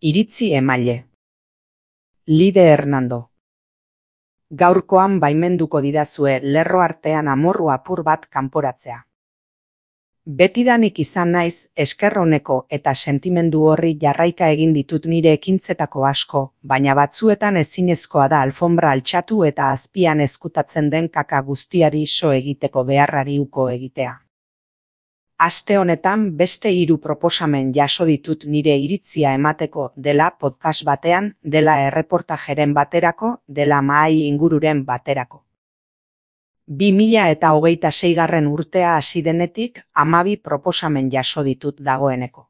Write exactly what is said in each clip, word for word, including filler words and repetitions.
Iritzi emaile. Lide Hernando. Gaurkoan baimenduko didazue lerro artean amorru apur bat kanporatzea. Betidanik izan naiz esker oneko eta sentimendu horri jarraika egin ditut nire ekintzetako asko, baina batzuetan ezinezkoa da alfombra altxatu eta azpian ezkutatzen den kaka guztiari so egiteko beharrari uko egitea. Aste honetan beste hiru proposamen jaso ditut nire iritzia emateko, dela podcast batean, dela erreportajeren baterako, dela mahai ingururen baterako. bi mila eta hogeita seigarren urtea hasi denetik hamabi proposamen jaso ditut dagoeneko.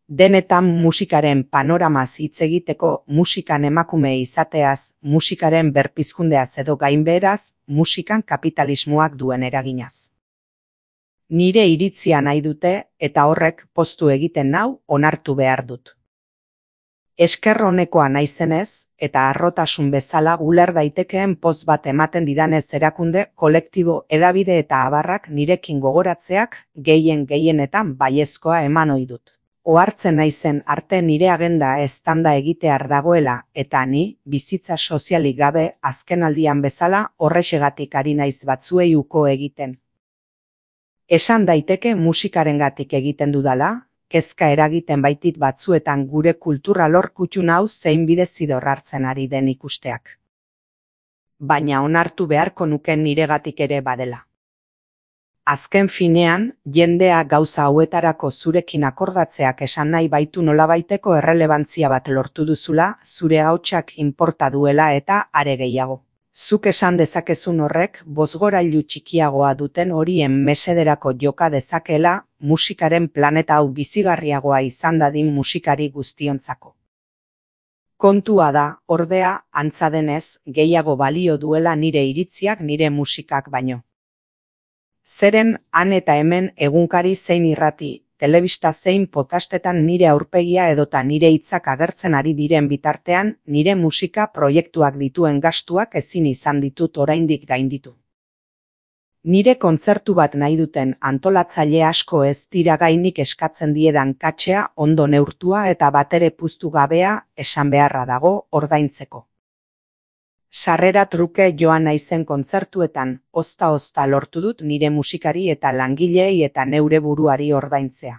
Denetan musikaren panoramaz hitz egiteko, musikan emakume izateaz, musikaren berpizkundeaz edo gainbeheraz, musikan kapitalismoak duen eraginaz. Nire iritzia nahi dute eta horrek poztu egiten nau onartu behar dut. Esker onekoa naizenez eta harrotasun bezala uler daitekeen poz bat ematen didanez erakunde, kolektibo, hedabide eta abarrak nirekin gogoratzeak gehien gehienetan baiezkoa eman ohi dut. Ohartzen naizen arte nire agenda eztanda egitear dagoela eta ni, bizitza sozialik gabe, azkenaldian bezala horrexegatik ari naiz batzuei uko egiten. Esan daiteke musikarengatik egiten dudala, kezka eragiten baitit batzuetan gure kultura lor kutxun hau zein bidezidor hartzen ari den ikusteak. Baina onartu beharko nuken niregatik ere badela. Azken finean, jendea gauza hauetarako zurekin akordatzeak esan nahi baitu nolabaiteko errelebantzia bat lortu duzula, zure hautsak inporta duela eta are gehiago. Zuk esan dezakezun horrek, bozgorailu txikiagoa duten horien mesederako joka dezakeela, musikaren planeta hau bizigarriagoa izan dadin musikari guztiontzako. Kontua da, ordea, antza denez, gehiago balio duela nire iritziak nire musikak baino. Zeren, han eta hemen egunkari zein irrati, telebista zein podcastetan nire aurpegia edota nire hitzak agertzen ari diren bitartean, nire musika proiektuak dituen gastuak ezin izan ditut oraindik gainditu. Nire kontzertu bat nahi duten antolatzaile asko ez dira gainik eskatzen diedan katxea ondo neurtua eta batere puztu gabea esan beharra dago ordaintzeko. Sarrera truke joan naizen kontzertuetan, ozta-ozta lortu dut nire musikari eta langileei eta neure buruari ordaintzea.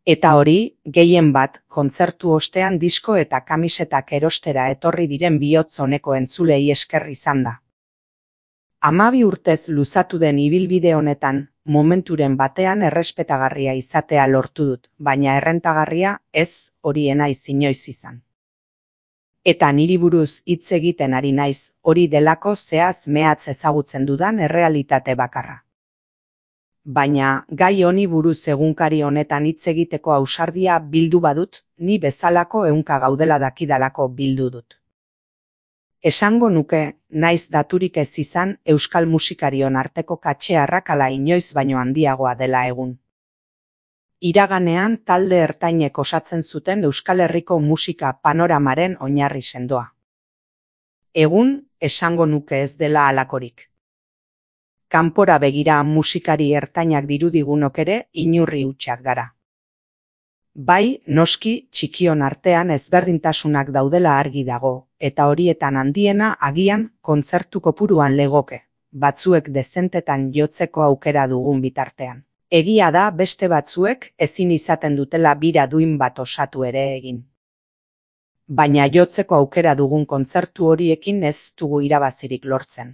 Eta hori, gehien bat, kontzertu ostean disko eta kamisetak erostera etorri diren bihotz oneko entzulei esker izan da. Hamabi urtez luzatu den ibilbide honetan, momenturen batean errespetagarria izatea lortu dut, baina errentagarria ez horiena inoiz izan. Eta niri buruz hitz egiten ari naiz, hori delako zehaz mehatz ezagutzen dudan errealitate bakarra. Baina, gai honi buruz egunkari honetan hitz egiteko ausardia bildu badut, ni bezalako ehunka gaudela dakidalako bildu dut. Esango nuke, naiz daturik ez izan, euskal musikarion arteko katxe arrakala inoiz baino handiagoa dela egun. Iraganean talde ertainek osatzen zuten Euskal Herriko musika panoramaren oinarri sendoa. Egun, esango nuke ez dela halakorik. Kanpora begira musikari ertainak dirudigunok ere inurri hutsak gara. Bai, noski, txikion artean ezberdintasunak daudela argi dago, eta horietan handiena agian kontzertu kopuruan legoke, batzuek dezentetan jotzeko aukera dugun bitartean. Egia da beste batzuek ezin izaten dutela bira duin bat osatu ere egin. Baina jotzeko aukera dugun kontzertu horiekin ez dugu irabazirik lortzen.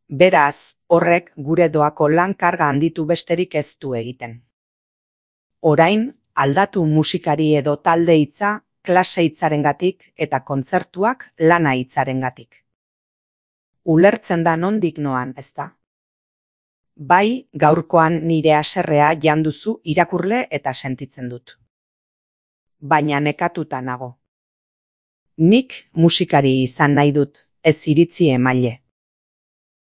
Beraz, horrek gure doako lan karga handitu besterik ez du egiten. Orain, aldatu musikari edo talde hitza, klase hitzarengatik eta kontzertuak lana hitzarengatik. Ulertzen da nondik noan, ezta? Bai, gaurkoan nire haserrea janduzu irakurle eta sentitzen dut. Baina nekatuta nago. Nik musikari izan nahi dut, ez iritzi emaile.